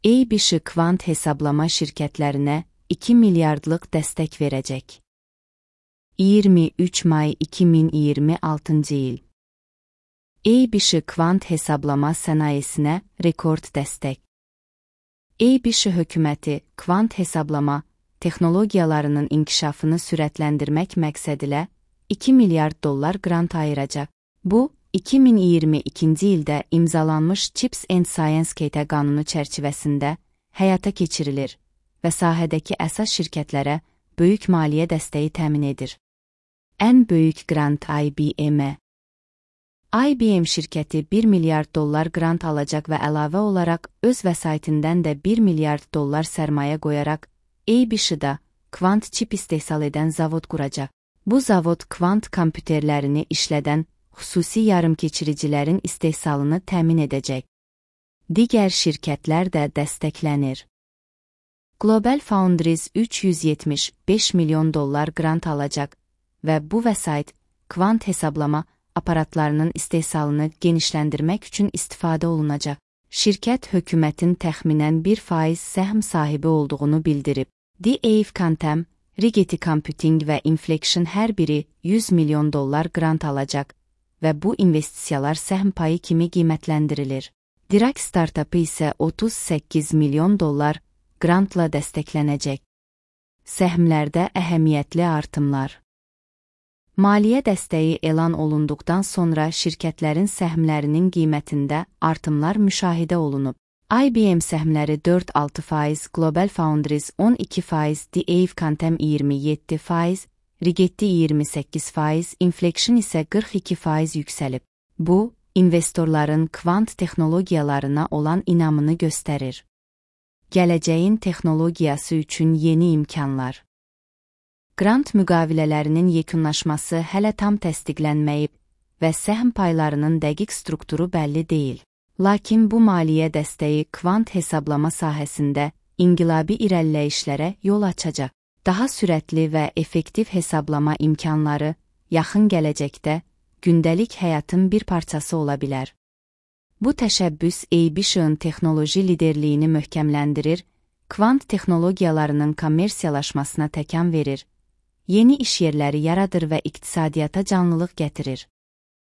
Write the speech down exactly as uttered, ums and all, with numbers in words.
A-B-Ş kvant hesablama şirkətlərinə iki milyardlıq dəstək verəcək. iyirmi üç may iki min iyirmi altıncı il. A-B-Ş kvant hesablama sənayesinə rekord dəstək. A-B-Ş hökuməti kvant hesablama texnologiyalarının inkişafını sürətləndirmək məqsədilə iki milyard dollar qrant ayıracaq. Bu, iki min iyirmi ikinci ildə imzalanmış Chips and Science Act qanunu çərçivəsində həyata keçirilir və sahədəki əsas şirkətlərə böyük maliyyə dəstəyi təmin edir. Ən böyük qrant I B M. I B M şirkəti bir milyard dollar qrant alacaq və əlavə olaraq öz vəsaitindən də bir milyard dollar sərmayə qoyaraq A-B-Ş-da kvant çip istehsal edən zavod quracaq. Bu zavod kvant kompüterlərini işlədən xüsusi yarımkeçiricilərin istehsalını təmin edəcək. Digər şirkətlər də dəstəklənir. Global Foundries üç yüz yetmiş beş milyon dollar qrant alacaq və bu vəsait kvant hesablama aparatlarının istehsalını genişləndirmək üçün istifadə olunacaq. Şirkət hökumətin təxminən bir faiz səhm sahibi olduğunu bildirib. D A F Quantum, Rigetti Computing və Inflection hər biri yüz milyon dollar qrant alacaq və bu investisiyalar səhm payı kimi qiymətləndirilir. Dirac startupı isə otuz səkkiz milyon dollar qrantla dəstəklənəcək. Səhmlərdə əhəmiyyətli artımlar. Maliyyə dəstəyi elan olunduqdan sonra şirkətlərin səhmlərinin qiymətində artımlar müşahidə olunub. I B M səhmləri dörd altı faiz, Global Foundries on iki faiz, D A F Quantum iyirmi yeddi faiz, Rigetti iyirmi səkkiz faiz, Inflection isə qırx iki faiz yüksəlib. Bu, investorların kvant texnologiyalarına olan inamını göstərir. Gələcəyin texnologiyası üçün yeni imkanlar. Qrant müqavilələrinin yekunlaşması hələ tam təsdiqlənməyib və səhm paylarının dəqiq strukturu bəlli deyil. Lakin bu maliyyə dəstəyi kvant hesablama sahəsində inqilabi irəliləyişlərə yol açacaq. Daha sürətli və effektiv hesablama imkanları yaxın gələcəkdə gündəlik həyatın bir parçası ola bilər. Bu təşəbbüs A-B-Ş-ın texnoloji liderliyini möhkəmləndirir, kvant texnologiyalarının kommersiyalaşmasına təkan verir, yeni iş yerləri yaradır və iqtisadiyyata canlılıq gətirir.